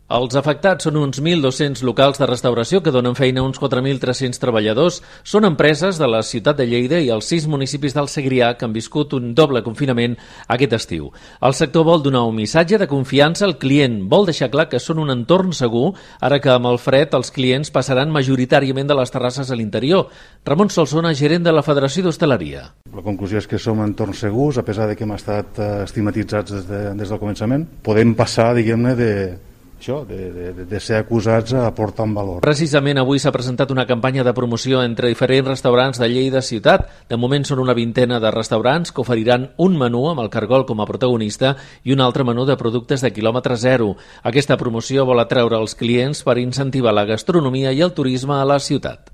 Els afectats són uns 1.200 locals de restauració que donen feina a uns 4.300 treballadors. Són empreses de la ciutat de Lleida i els 6 municipis del Segrià que han viscut un doble confinament aquest estiu. El sector vol donar un missatge de confiança al client. Vol deixar clar que són un entorn segur, ara que amb el fred els clients passaran majoritàriament de les terrasses a l'interior. Ramon Solsona, gerent de la Federació d'Hostaleria. La conclusió és que som entorns segurs, a pesar de que hem estat estigmatitzats des del començament. Podem passar, diguem-ne, de ser acusats a aportar un valor. Precisament avui s'ha presentat una campanya de promoció entre diferents restaurants de Lleida ciutat. De moment són una vintena de restaurants que oferiran un menú amb el cargol com a protagonista i un altre menú de productes de quilòmetre zero. Aquesta promoció vol atreure els clients per incentivar la gastronomia i el turisme a la ciutat.